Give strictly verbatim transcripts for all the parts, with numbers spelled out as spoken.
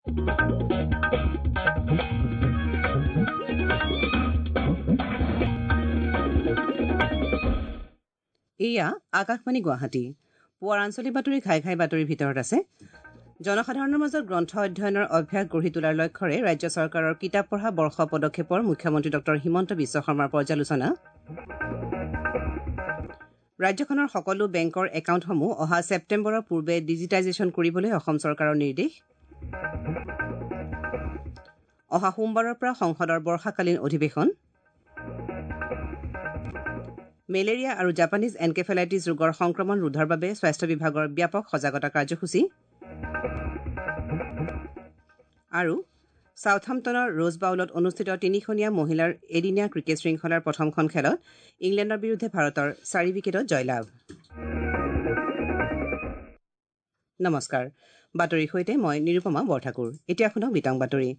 এয়া আকাশবাণী গুৱাহাটী। পুৱাৰ আঞ্চলিক বাতৰি ঘাই ঘাই বাতৰিৰ ভিতৰত আছে জনসাধাৰণৰ মাজত গ্ৰন্থ অধ্যয়নৰ অভ্যাস গঢ়ি তোলাৰ লক্ষ্যৰে ৰাজ্য চৰকাৰৰ কিতাপ পঢ়া বৰ্ষ পদক্ষেপৰ মুখ্যমন্ত্ৰী ডক্টৰ হিমন্ত বিশ্ব শৰ্মাৰ পৰ্যালোচনা। ৰাজ্যখনৰ সকলো বেংকৰ একাউণ্টসমূহ অহা ছেপ্টেম্বৰৰ পূৰ্বে ডিজিটাইজেশ্যন কৰিবলৈ অসম চৰকাৰৰ নিৰ্দেশ। অহা সোমবাৰৰ পৰা সংসদৰ বৰ্ষাকালীন অধিৱেশন। মেলেৰিয়া আৰু জাপানীজ এনকেফেলাইটিছ ৰোগৰ সংক্ৰমণ ৰোধৰ বাবে স্বাস্থ্য বিভাগৰ ব্যাপক সজাগতা কাৰ্যসূচী। আৰু ছাউথহাম্পটনৰ ৰোজ বাউলত অনুষ্ঠিত তিনিখনীয়া মহিলাৰ এদিনীয়া ক্ৰিকেট শৃংখলাৰ প্ৰথমখন খেলত ইংলেণ্ডৰ বিৰুদ্ধে ভাৰতৰ চাৰি উইকেটত জয়লাভ। নমস্কাৰ, বাতৰিৰ সৈতে মই নিৰুপমা বৰঠাকুৰ। এতিয়া শুনক বিতং বাতৰি।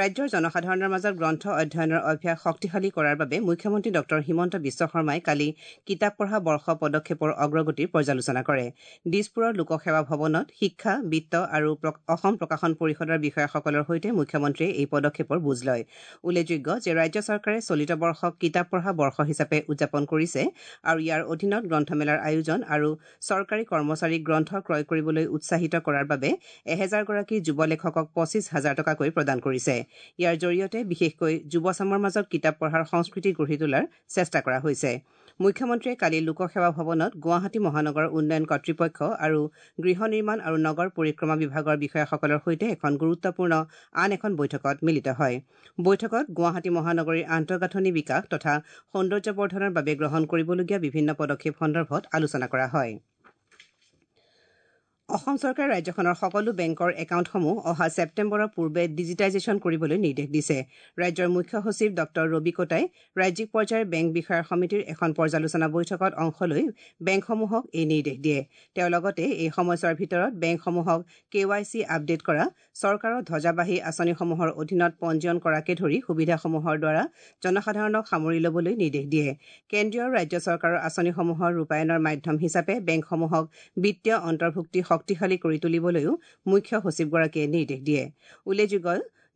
ৰাজ্যৰ জনসাধাৰণৰ মাজত গ্ৰন্থ অধ্যয়নৰ অভ্যাস শক্তিশালী কৰাৰ বাবে মুখ্যমন্ত্ৰী ডক্টৰ হিমন্ত বিশ্ব শৰ্মাই কালি কিতাপ পঢ়া বৰ্ষ পদক্ষেপৰ অগ্ৰগতিৰ পৰ্যালোচনা কৰে। দিছপুৰৰ লোকসেৱা ভৱনত শিক্ষা, বিত্ত আৰু অসম প্ৰকাশন পৰিষদৰ বিষয়াসকলৰ সৈতে মুখ্যমন্ত্ৰীয়ে এই পদক্ষেপৰ বুজ লয়। উল্লেখযোগ্য যে ৰাজ্য চৰকাৰে চলিত বৰ্ষক কিতাপ পঢ়া বৰ্ষ হিচাপে উদযাপন কৰিছে আৰু ইয়াৰ অধীনত গ্ৰন্থমেলাৰ আয়োজন আৰু চৰকাৰী কৰ্মচাৰীক গ্ৰন্থ ক্ৰয় কৰিবলৈ উৎসাহিত কৰাৰ বাবে এহেজাৰগৰাকী যুৱ লেখকক পঁচিছ হাজাৰ টকাকৈ প্ৰদান কৰিছে। ইয়াৰ জৰিয়তে বিশেষকৈ যুৱচামৰ মাজত কিতাপ পঢ়াৰ সংস্কৃতি গঢ়ি তোলাৰ চেষ্টা কৰা হৈছে। মুখ্যমন্ত্ৰীয়ে কালি লোকসেৱা ভৱনত গুৱাহাটী মহানগৰ উন্নয়ন কৰ্তৃপক্ষ আৰু গৃহ নিৰ্মাণ আৰু নগৰ পৰিক্ৰমা বিভাগৰ বিষয়াসকলৰ সৈতে এখন গুৰুত্বপূৰ্ণ আন এখন বৈঠকত মিলিত হয়। বৈঠকত গুৱাহাটী মহানগৰীৰ আন্তঃগাঁথনি বিকাশ তথা সৌন্দৰ্যবৰ্ধনৰ বাবে গ্ৰহণ কৰিবলগীয়া বিভিন্ন পদক্ষেপ সন্দৰ্ভত আলোচনা কৰা হয়। অসম চৰকাৰে ৰাজ্যখনৰ সকলো বেংকৰ একাউণ্টসমূহ অহা ছেপ্টেম্বৰৰ পূৰ্বে ডিজিটাইজেশ্যন কৰিবলৈ নিৰ্দেশ দিছে। ৰাজ্যৰ মুখ্য সচিব ডক্টৰ ৰবি কোটাই ৰাজ্যিক পৰ্যায়ৰ বেংক বিষয়াৰ সমিতিৰ এখন পৰ্যালোচনা বৈঠকত অংশ লৈ বেংকসমূহক এই নিৰ্দেশ দিয়ে। তেওঁ লগতে এই সময়ছোৱাৰ ভিতৰত বেংকসমূহক কে ৱাই চি আপডেট কৰা, চৰকাৰৰ ধ্বজাবাহী আঁচনিসমূহৰ অধীনত পঞ্জীয়ন কৰাকে ধৰি সুবিধাসমূহৰ দ্বাৰা জনসাধাৰণক সামৰি ল'বলৈ নিৰ্দেশ দিয়ে। কেন্দ্ৰীয় আৰু ৰাজ্য চৰকাৰৰ আঁচনিসমূহৰ ৰূপায়ণৰ মাধ্যম হিচাপে বেংকসমূহক বিত্তীয় অন্তৰ্ভুক্তি শক্তিশালী কৰি তুলিবলৈও মুখ্য সচিবগৰাকীয়ে নিৰ্দেশ দিয়ে। উল্লেখযোগ্য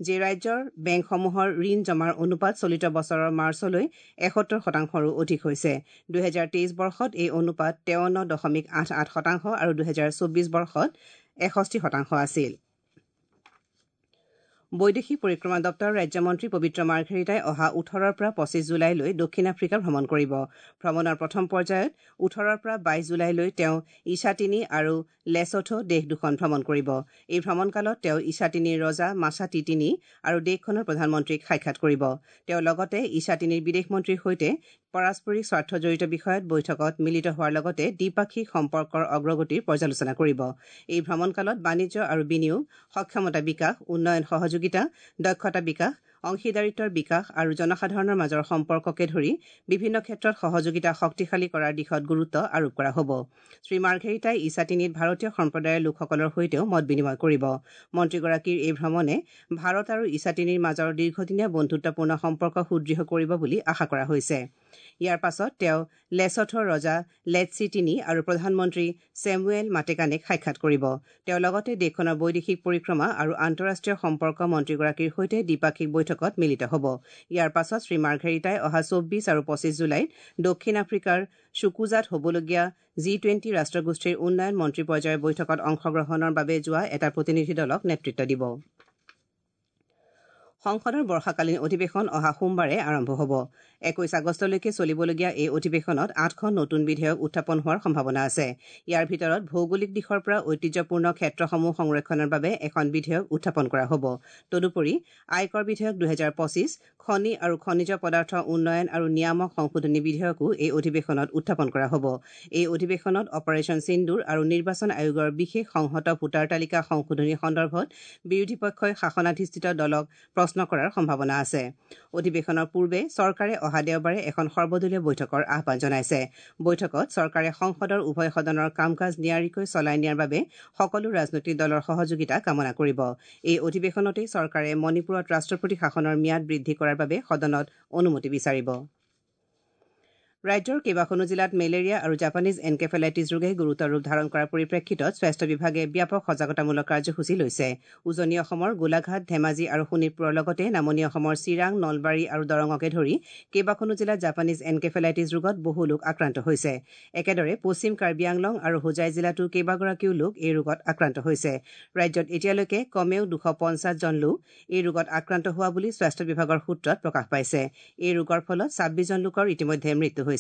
যে ৰাজ্যৰ বেংকসমূহৰ ঋণ জমাৰ অনুপাত চলিত বছৰৰ মাৰ্চলৈ এসত্তৰ শতাংশৰো অধিক হৈছে। দুহেজাৰ তেইছ বৰ্ষত এই অনুপাত তেৱন্ন দশমিক আঠ আঠ শতাংশ আৰু দুহেজাৰ চৌবিছ বৰ্ষত এষষ্ঠি শতাংশ আছিল। বৈদেশিক পৰিক্ৰমা দপ্তৰৰ ৰাজ্যমন্ত্ৰী পবিত্ৰ মাৰ্ঘেৰিটাই অহা ওঠৰৰ পৰা পঁচিছ জুলাইলৈ দক্ষিণ আফ্ৰিকা ভ্ৰমণ কৰিব। ভ্ৰমণৰ প্ৰথম পৰ্যায়ত ওঠৰৰ পৰা বাইছ জুলাইলৈ তেওঁ ইছাটিনি আৰু লেছথো দেশ দুখন ভ্ৰমণ কৰিব। এই ভ্ৰমণকালত তেওঁ ইছাটিনিৰ ৰজা মাছাটিটিনি আৰু দেশখনৰ প্ৰধানমন্ত্ৰীক সাক্ষাৎ কৰিব। তেওঁ লগতে ইছাটিনিৰ বিদেশ মন্ত্ৰীৰ সৈতে পাৰস্পৰিক স্বাৰ্থজড়িত বিষয়ত বৈঠকত মিলিত হোৱাৰ লগতে দ্বিপাক্ষিক সম্পৰ্কৰ অগ্ৰগতিৰ পৰ্যালোচনা কৰিব। এই ভ্ৰমণকালত বাণিজ্য আৰু বিনিয়োগ, সক্ষমতা বিকাশ, উন্নয়ন সহযোগিতা, দক্ষতা বিকাশ, অংশীদাৰিত্বৰ বিকাশ আৰু জনসাধাৰণৰ মাজৰ সম্পৰ্ককে ধৰি বিভিন্ন ক্ষেত্ৰত সহযোগিতা শক্তিশালী কৰাৰ দিশত গুৰুত্ব আৰোপ কৰা হ'ব। শ্ৰী মাৰ্ঘেৰিটাই ইছাটিনিত ভাৰতীয় সম্প্ৰদায়ৰ লোকসকলৰ সৈতেও মত বিনিময় কৰিব। মন্ত্ৰীগৰাকীৰ এই ভ্ৰমণে ভাৰত আৰু ইছাটিনিৰ মাজৰ দীৰ্ঘদিনীয়া বন্ধুত্বপূৰ্ণ সম্পৰ্ক সুদৃঢ় কৰিব বুলি আশা কৰা হৈছে। ইয়াৰ পাছত তেওঁ লেছথোৰ ৰজা লেটছিটিনি আৰু প্ৰধানমন্ত্ৰী চেমুৱেল মাটেকানেক সাক্ষাৎ কৰিব। তেওঁ লগতে দেশখনৰ বৈদেশিক পৰিক্ৰমা আৰু আন্তঃৰাষ্ট্ৰীয় সম্পৰ্ক মন্ত্ৰীগৰাকীৰ সৈতে দ্বিপাক্ষিক বৈঠকত মিলিত হ'ব। ইয়াৰ পাছত শ্ৰী মাৰ্ঘেৰিটাই অহা চৌবিছ আৰু পঁচিছ জুলাইত দক্ষিণ আফ্ৰিকাৰ চুকুজাত হ'বলগীয়া জি টুৱেণ্টি ৰাষ্ট্ৰগোষ্ঠীৰ উন্নয়ন মন্ত্ৰী পৰ্যায়ৰ বৈঠকত অংশগ্ৰহণৰ বাবে যোৱা এটা প্ৰতিনিধি দলক নেতৃত্ব দিব। সংসদৰ বৰ্ষাকালীন অধিৱেশন অহা সোমবাৰে আৰম্ভ হ'ব। একৈশ আগষ্টলৈকে চলিবলগীয়া এই অধিৱেশনত আঠখন নতুন বিধেয়ক উত্থাপন হোৱাৰ সম্ভাৱনা আছে। ইয়াৰ ভিতৰত ভৌগোলিক দিশৰ পৰা ঐতিহ্যপূৰ্ণ ক্ষেত্ৰসমূহ সংৰক্ষণৰ বাবে এখন বিধেয়ক উত্থাপন কৰা হ'ব। তদুপৰি আয়কৰ বিধেয়ক দুহেজাৰ পঁচিছ, খনি আৰু খনিজ পদাৰ্থ উন্নয়ন আৰু নিয়ামক সংশোধনী বিধেয়কো এই অধিৱেশনত উত্থাপন কৰা হ'ব। এই অধিৱেশনত অপাৰেচন সিন্দুৰ আৰু নিৰ্বাচন আয়োগৰ বিশেষ সংহত ভোটাৰ তালিকা সংশোধনী সন্দৰ্ভত বিৰোধী পক্ষই শাসনাধিষ্ঠিত দলক প্ৰশ্ন কৰাৰ সম্ভাৱনা আছে। অধিৱেশনৰ পূৰ্বে চৰকাৰে অহা দেওবাৰে এখন সৰ্বদলীয় বৈঠকৰ আহ্বান জনাইছে। বৈঠকত চৰকাৰে সংসদৰ উভয় সদনৰ কাম কাজ নিয়াৰিকৈ চলাই নিয়াৰ বাবে সকলো ৰাজনৈতিক দলৰ সহযোগিতা কামনা কৰিব। এই অধিৱেশনতেই চৰকাৰে মণিপুৰত ৰাষ্ট্ৰপতি শাসনৰ ম্যাদ বৃদ্ধি কৰাৰ বাবে সদনত অনুমতি বিচাৰিব। ৰাজ্যৰ কেইবাখনো জিলাত মেলেৰিয়া আৰু জাপানীজ এনকেফেলাইটিছ ৰোগে গুৰুতৰ ৰূপ ধাৰণ কৰাৰ পৰিপ্ৰেক্ষিতত স্বাস্থ্য বিভাগে ব্যাপক সজাগতামূলক কাৰ্যসূচী লৈছে। উজনি অসমৰ গোলাঘাট, ধেমাজি আৰু শোণিতপুৰৰ লগতে নামনি অসমৰ চিৰাং, নলবাৰী আৰু দৰঙকে ধৰি কেইবাখনো জিলাত জাপানীজ এনকেফেলাইটিছ ৰোগত বহু লোক আক্ৰান্ত হৈছে। একেদৰে পশ্চিম কাৰ্বি আংলং আৰু হোজাই জিলাতো কেইবাগৰাকীও লোক এই ৰোগত আক্ৰান্ত হৈছে। ৰাজ্যত এতিয়ালৈকে কমেও দুশ পঞ্চাছজন লোক এই ৰোগত আক্ৰান্ত হোৱা বুলি স্বাস্থ্য বিভাগৰ সূত্ৰত প্ৰকাশ পাইছে। এই ৰোগৰ ফলত ছাব্বিছজন লোকৰ ইতিমধ্যে মৃত্যু হৈছে।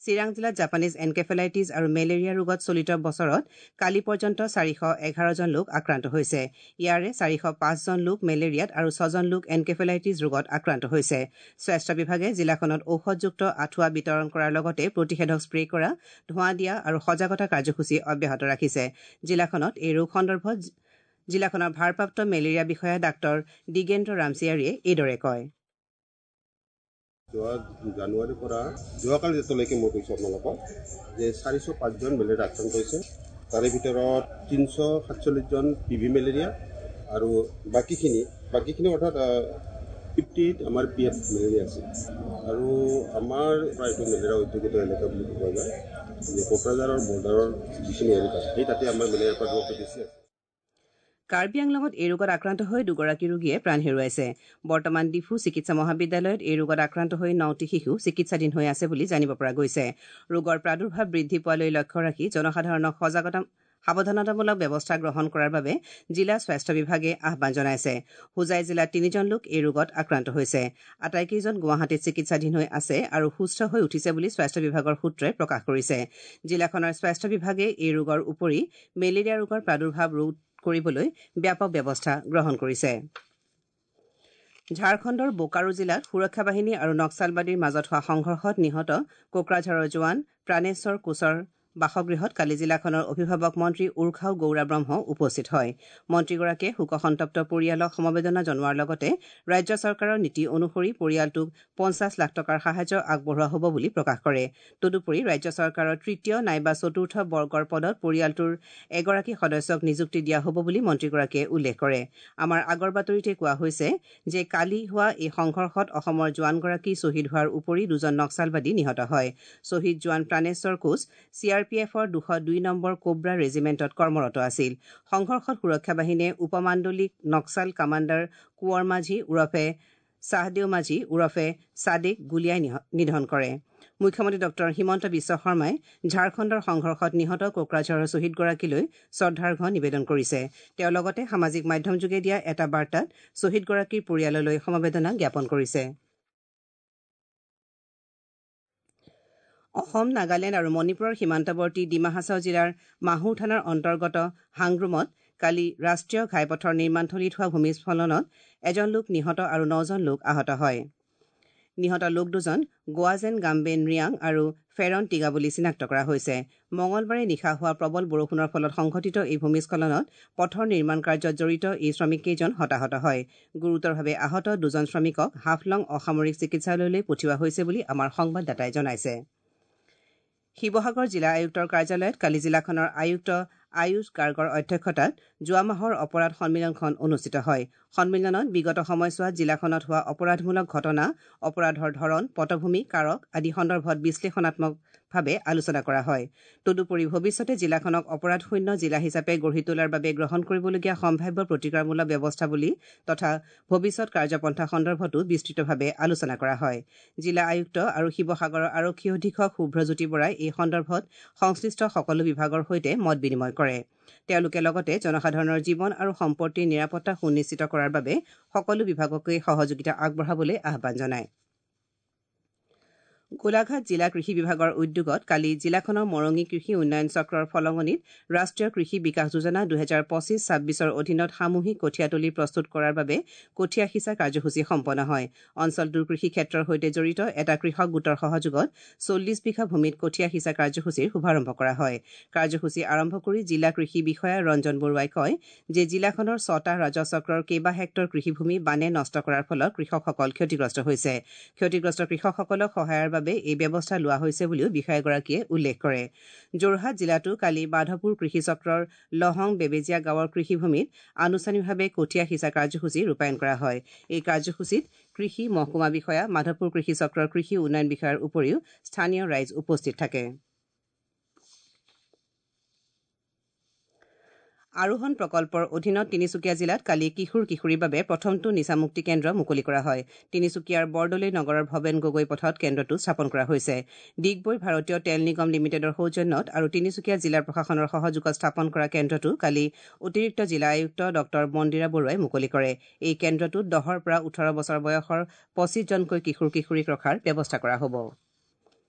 চিৰাং জিলাত জাপানীজ এনকেফেলাইটিছ আৰু মেলেৰিয়া ৰোগত চলিত বছৰত কালি পৰ্যন্ত চাৰিশ এঘাৰজন লোক আক্ৰান্ত হৈছে। ইয়াৰে চাৰিশ পাঁচজন লোক মেলেৰিয়াত আৰু ছজন লোক এনকেফেলাইটিছ ৰোগত আক্ৰান্ত হৈছে। স্বাস্থ্য বিভাগে জিলাখনত ঔষধযুক্ত আঁঠুৱা বিতৰণ কৰাৰ লগতে প্ৰতিষেধক স্প্ৰে কৰা, ধোঁৱা দিয়া আৰু সজাগতা কাৰ্যসূচী অব্যাহত ৰাখিছে। জিলাখনত এই ৰোগ সন্দৰ্ভত জিলাখনৰ ভাৰপ্ৰাপ্ত মেলেৰিয়া বিষয়া ডাঃ দিগেন্দ্ৰ ৰামচিয়াৰীয়ে এইদৰে কয়। যোৱা জানুৱাৰীৰ পৰা যোৱাকালি ডেটলৈকে মই কৈছোঁ আপোনালোকক যে চাৰিশ পাঁচজন মেলেৰিয়া আক্ৰান্ত হৈছে। তাৰে ভিতৰত তিনিশ সাতচল্লিছজন পি ভি মেলেৰিয়া আৰু বাকীখিনি বাকীখিনি অৰ্থাৎ ফিফটি এইট আমাৰ পি এফ মেলেৰিয়া আছে। আৰু আমাৰ এইটো মেলেৰিয়া অধ্যুষিত এলেকা বুলি কোৱা যায় যে কোকৰাঝাৰৰ বৰ্ডাৰৰ যিখিনি এলেকা সেই তাতে আমাৰ মেলেৰিয়াৰ প্ৰাদুৰ্ভাৱটো বেছি আছে। কাৰ্বি আংলঙত এই ৰোগত আক্ৰান্ত হৈ দুগৰাকী ৰোগীয়ে প্ৰাণ হেৰুৱাইছে। বৰ্তমান ডিফু চিকিৎসা মহাবিদ্যালয়ত এই ৰোগত আক্ৰান্ত হৈ নটি শিশু চিকিৎসাধীন হৈ আছে বুলি জানিব পৰা গৈছে। ৰোগৰ প্ৰাদুৰ্ভাৱ বৃদ্ধি পোৱালৈ লক্ষ্য ৰাখি জনসাধাৰণক সজাগতা সাৱধানতামূলক ব্যৱস্থা গ্ৰহণ কৰাৰ বাবে জিলা স্বাস্থ্য বিভাগে আহ্বান জনাইছে। হোজাই জিলাত তিনিজন লোক এই ৰোগত আক্ৰান্ত হৈছে। আটাইকেইজন গুৱাহাটীত চিকিৎসাধীন হৈ আছে আৰু সুস্থ হৈ উঠিছে বুলি স্বাস্থ্য বিভাগৰ সূত্ৰই প্ৰকাশ কৰিছে। জিলাখনৰ স্বাস্থ্য বিভাগে এই ৰোগৰ উপৰি মেলেৰিয়া ৰোগৰ প্ৰাদুৰ্ভাৱ ৰোধ কৰিবলৈ ব্যাপক ব্যৱস্থা গ্ৰহণ কৰিছে। ঝাৰখণ্ডৰ বোকাৰো জিলাত সুৰক্ষা বাহিনী আৰু নক্সালবাদীৰ মাজত হোৱা সংঘৰ্ষত নিহত কোকৰাঝাৰৰ জোৱান প্ৰাণেশ্বৰ কোচৰ বাসগৃহত কালি জিলাখনৰ অভিভাৱক মন্ত্ৰী উৰ্খাও গৌৰা ব্ৰহ্ম উপস্থিত হয়। মন্ত্ৰীগৰাকীয়ে শোকসন্তপ্ত পৰিয়ালক সমবেদনা জনোৱাৰ লগতে ৰাজ্য চৰকাৰৰ নীতি অনুসৰি পৰিয়ালটোক পঞ্চাছ লাখ টকাৰ সাহায্য আগবঢ়োৱা হ'ব বুলি প্ৰকাশ কৰে। তদুপৰি ৰাজ্য চৰকাৰৰ তৃতীয় নাইবা চতুৰ্থ বৰ্গৰ পদত পৰিয়ালটোৰ এগৰাকী সদস্যক নিযুক্তি দিয়া হ'ব বুলি মন্ত্ৰীগৰাকীয়ে উল্লেখ কৰে। আমাৰ আগৰ বাতৰিতে কোৱা হৈছে যে কালি হোৱা এই সংঘৰ্ষত অসমৰ জোৱানগৰাকী শ্বহীদ হোৱাৰ উপৰি দুজন নক্সালবাদী নিহত হয়। শ্বহীদ জোৱান Praneswar Koch C R P এফৰ দুশ দুই নম্বৰ কোব্ৰা ৰেজিমেণ্টত কৰ্মৰত আছিল। সংঘৰ্ষত সুৰক্ষা বাহিনীয়ে উপমাণ্ডলিক নক্সাল কামাণ্ডাৰ কোঁৱৰ মাঝি ওৰফে চাহদেউ মাঝি ওৰফে চাদেক গুলীয়াই নিধন কৰে। মুখ্যমন্ত্ৰী ডঃ হিমন্ত বিশ্ব শৰ্মাই ঝাৰখণ্ডৰ সংঘৰ্ষত নিহত কোকৰাঝাৰৰ শ্বহীদগৰাকীলৈ শ্ৰদ্ধাৰ্ঘ নিবেদন কৰিছে। তেওঁ লগতে সামাজিক মাধ্যমযোগে দিয়া এটা বাৰ্তাত শ্বহীদগৰাকীৰ পৰিয়াললৈ সমবেদনা জ্ঞাপন কৰিছে। অসম, নাগালেণ্ড আৰু মণিপুৰৰ সীমান্তৱৰ্তী ডিমা হাছাও জিলাৰ মাহুৰ থানাৰ অন্তৰ্গত হাংগ্ৰুমত কালি ৰাষ্ট্ৰীয় ঘাইপথৰ নিৰ্মাণথলীত হোৱা ভূমিস্খলনত এজন লোক নিহত আৰু নজন লোক আহত হয়। নিহত লোক দুজন গোৱাজেন গাম্বেন ৰিয়াং আৰু ফেৰন টিগা বুলি চিনাক্ত কৰা হৈছে। মঙলবাৰে নিশা হোৱা প্ৰবল বৰষুণৰ ফলত সংঘটিত এই ভূমিস্খলনত পথৰ নিৰ্মাণ কাৰ্যত জড়িত এই শ্ৰমিককেইজন হতাহত হয়। গুৰুতৰভাৱে আহত দুজন শ্ৰমিকক হাফলং অসামৰিক চিকিৎসালয়লৈ পঠিওৱা হৈছে বুলি আমাৰ সংবাদদাতাই জনাইছে। শিৱসাগৰ জিলা আয়ুক্তৰ কাৰ্যালয়ত কালি জিলাখনৰ আয়ুক্ত আয়ুষ গাৰ্গৰ অধ্যক্ষতাত যোৱা মাহৰ অপৰাধ সন্মিলনখন অনুষ্ঠিত হয়। সন্মিলনত বিগত সময়ছোৱাত জিলাখনত হোৱা অপৰাধমূলক ঘটনা, অপৰাধৰ ধৰণ, পটভূমি, কাৰক আদি সন্দৰ্ভত বিশ্লেষণাত্মকভাৱে আলোচনা কৰা হয়। তদুপৰি ভৱিষ্যতে জিলাখনক অপৰাধশূন্য জিলা হিচাপে গঢ়ি তোলাৰ বাবে গ্ৰহণ কৰিবলগীয়া সম্ভাৱ্য প্ৰতিকাৰমূলক ব্যৱস্থাৱলী তথা ভৱিষ্যত কাৰ্যপন্থা সন্দৰ্ভতো বিস্তৃতভাৱে আলোচনা কৰা হয়। জিলা আয়ুক্ত আৰু শিৱসাগৰৰ আৰক্ষী অধীক্ষক শুভ্ৰজ্যোতি বৰাই এই সন্দৰ্ভত সংশ্লিষ্ট সকলো বিভাগৰ সৈতে মত বিনিময় কৰে। তেওঁলোকে লগতে জনসাধাৰণৰ জীৱন আৰু সম্পত্তিৰ নিৰাপত্তা সুনিশ্চিত কৰাৰ বাবে সকলো বিভাগকে সহযোগিতা আগবঢ়াবলৈ আহ্বান জনায়। গোলাঘাট জিলা কৃষি বিভাগৰ উদ্যোগত কালি জিলাখনৰ মৰঙী কৃষি উন্নয়ন চক্ৰৰ ফলঙনিত ৰাষ্ট্ৰীয় কৃষি বিকাশ যোজনা দুহেজাৰ পঁচিছ ছাব্বিছৰ অধীনত সামূহিক কঠীয়াতলী প্ৰস্তুত কৰাৰ বাবে কঠীয়া সিঁচা কাৰ্যসূচী সম্পন্ন হয়। অঞ্চলটোৰ কৃষি ক্ষেত্ৰৰ সৈতে জড়িত এটা কৃষক গোটৰ সহযোগত চল্লিছ বিঘা ভূমিত কঠীয়া সিঁচা কাৰ্যসূচীৰ শুভাৰম্ভ কৰা হয়। কাৰ্যসূচী আৰম্ভ কৰি জিলা কৃষি বিষয়া ৰঞ্জন বৰুৱাই কয় যে জিলাখনৰ ছটা ৰাজহ চক্ৰৰ কেইবা হেক্টৰ কৃষিভূমি বানে নষ্ট কৰাৰ ফলত কৃষকসকল ক্ষতিগ্ৰস্ত হৈছে। ক্ষতিগ্ৰস্ত কৃষকসকলক সহায়ৰ বাবে এই ব্যৱস্থা লোৱা হৈছে বুলিও বিষয়াগৰাকীয়ে উল্লেখ কৰে। যোৰহাট জিলাতো কালি মাধৱপুৰ কৃষি চক্ৰৰ লহং বেবেজীয়া গাঁৱৰ কৃষিভূমিত আনুষ্ঠানিকভাৱে কঠীয়া সিঁচা কাৰ্যসূচী ৰূপায়ণ কৰা হয়। এই কাৰ্যসূচীত কৃষি মহকুমা বিষয়া, মাধৱপুৰ কৃষি চক্ৰৰ কৃষি উন্নয়ন বিষয়াৰ উপৰিও স্থানীয় ৰাইজ উপস্থিত থাকে। আৰোহণ প্ৰকল্পৰ অধীনত তিনিচুকীয়া জিলাত কালি কিশোৰ কিশোৰীৰ বাবে প্ৰথমটো নিচামুক্তি কেন্দ্ৰ মুকলি কৰা হয়। তিনিচুকীয়াৰ বৰদলৈ নগৰৰ ভৱেন গগৈ পথত কেন্দ্ৰটো স্থাপন কৰা হৈছে। ডিগবৈৰ ভাৰতীয় তেল নিগম লিমিটেডৰ সৌজন্যত আৰু তিনিচুকীয়া জিলা প্ৰশাসনৰ সহযোগত স্থাপন কৰা কেন্দ্ৰটো কালি অতিৰিক্ত জিলা আয়ুক্ত ডঃ মন্দিৰা বৰুৱাই মুকলি কৰে। এই কেন্দ্ৰটোত দহৰ পৰা ওঠৰ বছৰ বয়সৰ পঁচিছজনকৈ কিশোৰ কিশোৰীক ৰখাৰ ব্যৱস্থা কৰা হ'ব।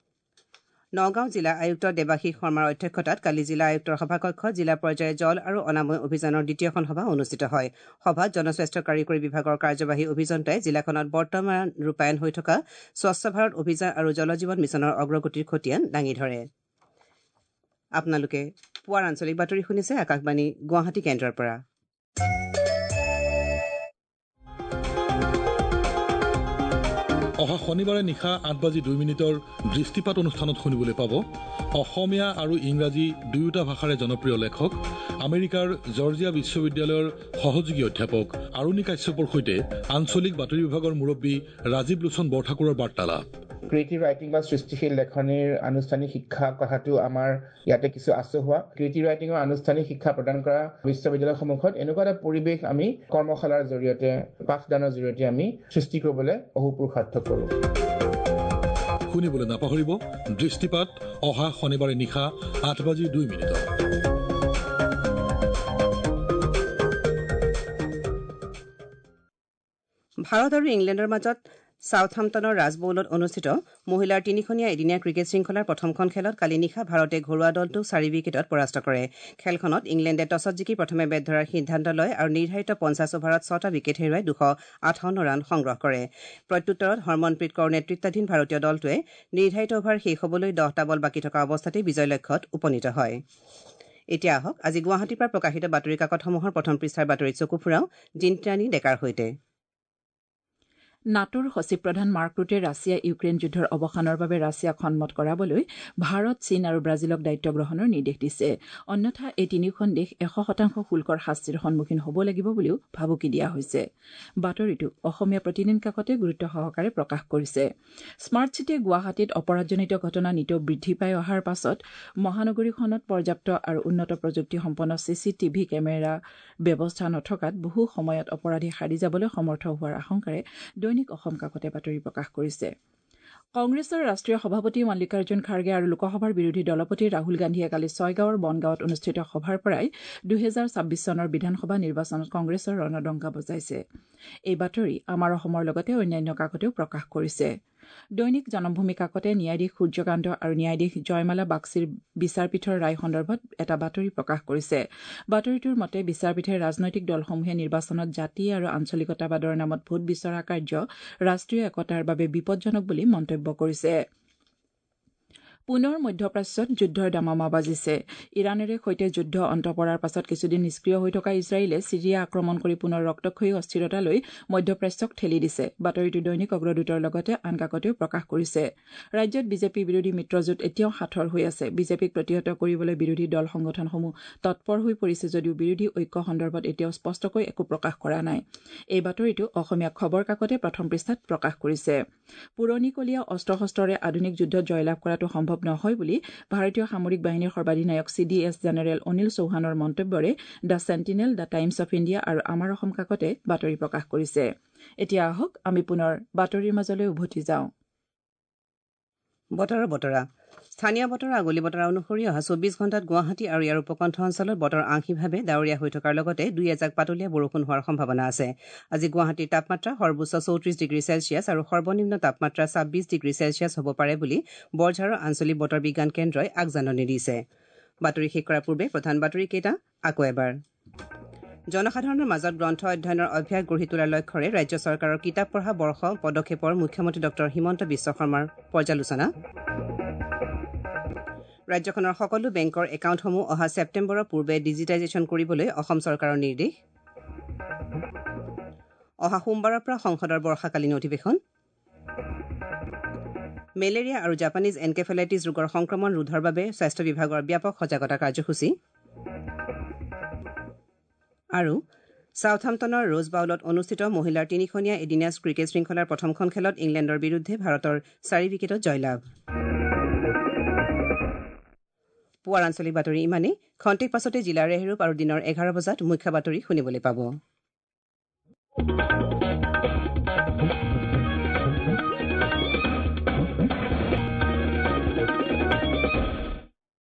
নগাঁও জিলা আয়ুক্ত দেৱাশীষ শৰ্মাৰ অধ্যক্ষতাত কালি জিলা আয়ুক্তৰ সভাকক্ষত জিলা পৰ্যায়ৰ জল আৰু অনাময় অভিযানৰ দ্বিতীয়খন সভা অনুষ্ঠিত হয়। সভাত জনস্বাস্থ্য কাৰিকৰী বিভাগৰ কাৰ্যবাহী অভিযন্তাই জিলাখনত বৰ্তমান ৰূপায়ণ হৈ থকা স্বচ্ছ ভাৰত অভিযান আৰু জল জীৱন মিছনৰ অগ্ৰগতিৰ খতিয়ান দাঙি ধৰে। আপোনালোকে পুৱাৰ আঞ্চলিক বাতৰি শুনিছে আকাশবাণী গুৱাহাটী কেন্দ্ৰৰ পৰা। অহা শনিবাৰে নিশা আঠ বাজি দুই মিনিটৰ দৃষ্টিপাত অনুষ্ঠানত শুনিবলৈ পাব অসমীয়া আৰু ইংৰাজী দুয়োটা ভাষাৰে জনপ্ৰিয় লেখক, আমেৰিকাৰ জৰ্জিয়া বিশ্ববিদ্যালয়ৰ সহযোগী অধ্যাপক আৰুণি কাশ্যপৰ সৈতে আঞ্চলিক বাতৰি বিভাগৰ মুৰব্বী ৰাজীৱ লোচন বৰঠাকুৰৰ বাৰ্তালাপ। ক্ৰিয়েটিভ ৰাইটিং বা সৃষ্টিশীল লেখনিৰ আনুষ্ঠানিক শিক্ষা কথাটো আমাৰ ইয়াতে কিছু আচহুৱা। ক্ৰিয়েটিভ ৰাইটিঙৰ আনুষ্ঠানিক শিক্ষা প্ৰদান কৰা বিশ্ববিদ্যালয়সমূহত এনেকুৱা এটা পৰিৱেশ আমি কৰ্মশালাৰ জৰিয়তে, পাঠদানৰ জৰিয়তে আমি সৃষ্টি কৰিবলৈ অহোপুৰুষাৰ্থ কৰোঁ। শুনিবলৈ নাপাহৰিব দৃষ্টিপাত অহা শনিবাৰে নিশা আঠ বাজি দুই মিনিটত। ভাৰত আৰু ইংলেণ্ডৰ মাজত চাউথহাম্পটনৰ ৰাজবৌলত অনুষ্ঠিত মহিলাৰ তিনিখনীয়া এদিনীয়া ক্ৰিকেট শৃংখলাৰ প্ৰথমখন খেলত কালি নিশা ভাৰতে ঘৰুৱা দলটোক চাৰি উইকেটত পৰাস্ত কৰে। খেলখনত ইংলেণ্ডে টছত জিকি প্ৰথমে বেট ধৰাৰ সিদ্ধান্ত লয় আৰু নিৰ্ধাৰিত পঞ্চাছ অভাৰত ছটা উইকেট হেৰুৱাই দুশ আঠাৱন্ন ৰান সংগ্ৰহ কৰে। প্ৰত্যুত্তৰত হৰমনপ্ৰীত কৌৰ নেতৃত্বাধীন ভাৰতীয় দলটোৱে নিৰ্ধাৰিত অভাৰ শেষ হ'বলৈ দহটা বল বাকী থকা অৱস্থাতেই বিজয় লক্ষ্যত উপনীত হয়। এতিয়া আহক আজি গুৱাহাটীৰ পৰা প্ৰকাশিত বাতৰি কাকতসমূহৰ প্ৰথম পৃষ্ঠাৰ বাতৰিত চকু ফুৰাওঁ জিন্তানী ডেকাৰ সৈতে। নাটোৰ সচিব প্ৰধান মাৰ্ক ৰুটে ৰাছিয়া ইউক্ৰেইন যুদ্ধৰ অৱসানৰ বাবে ৰাছিয়াক সন্মত কৰাবলৈ ভাৰত, চীন আৰু ব্ৰাজিলক দায়িত্ব গ্ৰহণৰ নিৰ্দেশ দিছে। অন্যথা এই তিনিওখন দেশ এশ শতাংশ শুল্কৰ শাস্তিৰ সন্মুখীন হ'ব লাগিব বুলিও ভাবুকি দিয়া হৈছে। বাতৰিটো অসমীয়া প্ৰতিদিন কাকতে গুৰুত্ব সহকাৰে প্ৰকাশ কৰিছে। স্মাৰ্ট চিটিয়ে গুৱাহাটীত অপৰাধজনিত ঘটনা নিতৌ বৃদ্ধি পাই অহাৰ পাছত মহানগৰীখনত পৰ্যাপ্ত আৰু উন্নত প্ৰযুক্তিসম্পন্ন চি চি টিভি কেমেৰা ব্যৱস্থা নথকাত বহু সময়ত অপৰাধী সাৰি যাবলৈ সমৰ্থ হোৱাৰ আশংকাৰে দৈনিক অসম কাকতে বাতৰি প্ৰকাশ কৰিছে। কংগ্ৰেছৰ ৰাষ্ট্ৰীয় সভাপতি মল্লিকাৰ্জুন খাৰ্গে আৰু লোকসভাৰ বিৰোধী দলপতি ৰাহুল গান্ধীয়ে কালি ছয়গাঁৱৰ বনগাঁৱত অনুষ্ঠিত সভাৰ পৰাই দুহেজাৰ ছাব্বিছ চনৰ বিধানসভা নিৰ্বাচনত কংগ্ৰেছৰ ৰণদংকা বজাইছে। এই বাতৰি আমাৰ অসমৰ লগতে অন্যান্য কাকতেও প্ৰকাশ কৰিছে। দৈনিক জনমভূমি কাকতে ন্যায়াধীশ সূৰ্যকান্ত আৰু ন্যায়াধীশ জয়মালা বাগচিৰ বিচাৰপীঠৰ ৰায় সন্দৰ্ভত এটা বাতৰি প্ৰকাশ কৰিছে। বাতৰিটোৰ মতে বিচাৰপীঠে ৰাজনৈতিক দলসমূহে নিৰ্বাচনত জাতি আৰু আঞ্চলিকতাবাদৰ নামত ভোট বিচৰা কাৰ্য ৰাষ্ট্ৰীয় একতাৰ বাবে বিপদজনক বুলি মন্তব্য কৰিছে। পুনৰ মধ্যপ্ৰাচ্যত যুদ্ধৰ দামামা বাজিছে। ইৰাণেৰে সৈতে যুদ্ধ অন্ত পৰাৰ পাছত কিছুদিন নিষ্ক্ৰিয় হৈ থকা ইজৰাইলে ছিৰিয়া আক্ৰমণ কৰি পুনৰ ৰক্তক্ষয়ী অস্থিৰতালৈ মধ্যপ্ৰাচ্যক ঠেলি দিছে। বাতৰিটো দৈনিক অগ্ৰদূতৰ লগতে আন কাকতেও প্ৰকাশ কৰিছে। ৰাজ্যত বিজেপি বিৰোধী মিত্ৰজোঁট এতিয়াও সাঁথৰ হৈ আছে। বিজেপিক প্ৰতিহত কৰিবলৈ বিৰোধী দল সংগঠনসমূহ তৎপৰ হৈ পৰিছে যদিও বিৰোধী ঐক্য সন্দৰ্ভত এতিয়াও স্পষ্টকৈ একো প্ৰকাশ কৰা নাই। এই বাতৰিটো অসমীয়া খবৰ কাকতে প্ৰথম পৃষ্ঠাত প্ৰকাশ কৰিছে। পুৰণিকলীয়া অস্ত্ৰ শস্ত্ৰৰে আধুনিক যুদ্ধত জয়লাভ কৰাটো সম্ভৱ নহয় বুলি ভাৰতীয় সামৰিক বাহিনীৰ সৰ্বাধিনায়ক C D S general Anil চৌহানৰ মন্তব্যৰে the Sentinel, the Times of India আৰু আমাৰ অসম কাকতে বাতৰি প্ৰকাশ কৰিছে। এতিয়া আহক আমি পুনৰ বাতৰিৰ মাজলৈ উভতি যাওঁ। বতৰৰ বতৰা। স্থানীয় বতৰৰ আগলি বতৰা অনুসৰি অহা চৌবিছ ঘণ্টাত গুৱাহাটী আৰু ইয়াৰ উপকণ্ঠ অঞ্চলত বতৰ আংশিকভাৱে ডাৱৰীয়া হৈ থকাৰ লগতে দুই এজাক পাতলীয়া বৰষুণ হোৱাৰ সম্ভাৱনা আছে। আজি গুৱাহাটীৰ তাপমাত্ৰা সৰ্বোচ্চ চৌত্ৰিছ ডিগ্ৰী চেলছিয়াছ আৰু সৰ্বনিম্ন তাপমাত্ৰা ছাব্বিছ ডিগ্ৰী চেলছিয়াছ হ'ব পাৰে বুলি বৰঝাৰৰ আঞ্চলিক বতৰ বিজ্ঞান কেন্দ্ৰই আগজাননী দিছে। বাতৰি শেষ কৰাৰ পূৰ্বে প্ৰধান বাতৰিকেইটা আকৌ এবাৰ। জনসাধাৰণৰ মাজত গ্ৰন্থ অধ্যয়নৰ অভ্যাস গঢ়ি তোলাৰ লক্ষ্যৰে ৰাজ্য চৰকাৰৰ কিতাপ পঢ়া বৰ্ষ পদক্ষেপৰ মুখ্যমন্ত্ৰী ডক্টৰ হিমন্ত বিশ্ব শৰ্মাৰ পৰ্যালোচনা। ৰাজ্যখনৰ সকলো বেংকৰ একাউণ্টসমূহ অহা ছেপ্টেম্বৰৰ পূৰ্বে ডিজিটাইজেশ্যন কৰিবলৈ অসম চৰকাৰৰ নিৰ্দেশ। অহা সোমবাৰৰ পৰা সংসদৰ বৰ্ষাকালীন অধিৱেশন। মেলেৰিয়া আৰু জাপানীজ এনকেফেলাইটিছ ৰোগৰ সংক্ৰমণ ৰোধৰ বাবে স্বাস্থ্য বিভাগৰ ব্যাপক সজাগতা কাৰ্যসূচী। আৰু ছাউথহাম্পটনৰ ৰোজ বাউলত অনুষ্ঠিত মহিলাৰ তিনিখনীয়া এদিনীয়া ক্ৰিকেট শৃংখলাৰ প্ৰথমখন খেলত ইংলেণ্ডৰ বিৰুদ্ধে ভাৰতৰ চাৰি উইকেটত জয়লাভ। পুৱাৰ আঞ্চলিক বাতৰি ইমানেই। খন্তেক পাছতে জিলাৰ ৰেহৰূপ আৰু দিনৰ এঘাৰ বজাত মুখ্য বাতৰি শুনিবলৈ পাব।